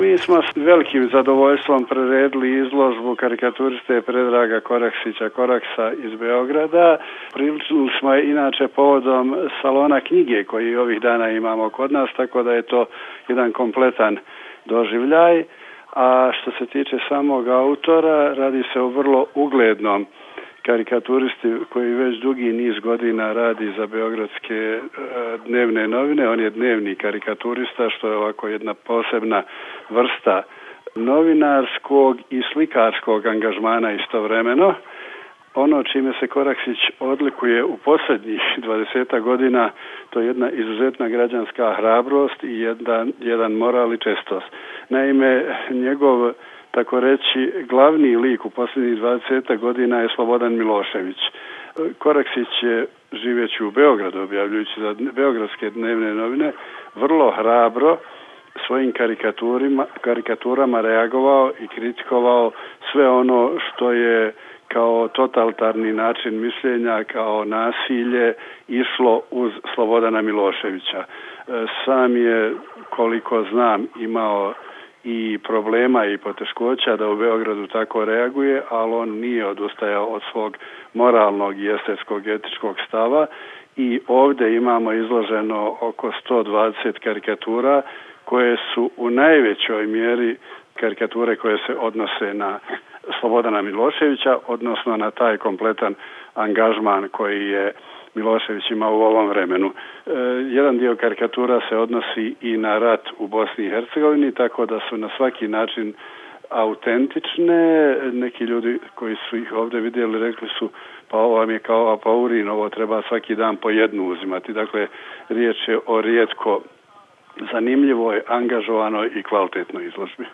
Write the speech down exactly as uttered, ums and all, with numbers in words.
Mi smo s velikim zadovoljstvom priredili izložbu karikaturiste Predraga Koraksića Koraksa iz Beograda. Priličili smo je inače povodom salona knjige koji ovih dana imamo kod nas, tako da je to jedan kompletan doživljaj. A što se tiče samog autora, radi se o vrlo uglednom karikaturisti koji već dugi niz godina radi za beogradske dnevne novine. On je dnevni karikaturista, što je ovako jedna posebna vrsta novinarskog i slikarskog angažmana istovremeno. Ono čime se Koraksić odlikuje u posljednjih dvadesetak godina, to je jedna izuzetna građanska hrabrost i jedan, jedan moral i čestost. Naime, njegov, tako reći, glavni lik u posljednjih dvadesetak godina je Slobodan Milošević. Koraksić je, živeći u Beogradu, objavljujući za beogradske dnevne novine, vrlo hrabro svojim karikaturima, karikaturama reagovao i kritikovao sve ono što je kao totalitarni način mišljenja, kao nasilje išlo uz Slobodana Miloševića. Sam je, koliko znam, imao i problema i poteškoća da u Beogradu tako reaguje, ali on nije odustajao od svog moralnog i estetskog etičkog stava i ovdje imamo izloženo oko sto dvadeset karikatura koje su u najvećoj mjeri karikature koje se odnose na Slobodana Miloševića, odnosno na taj kompletan angažman koji je Milošević imao u ovom vremenu. E, jedan dio karikatura se odnosi i na rat u Bosni i Hercegovini, tako da su na svaki način autentične. Neki ljudi koji su ih ovdje vidjeli rekli su pa ovo vam je kao apaurin, ovo treba svaki dan po jednu uzimati. Dakle, riječ je o rijetko zanimljivoj, angažovanoj i kvalitetnoj izložbi.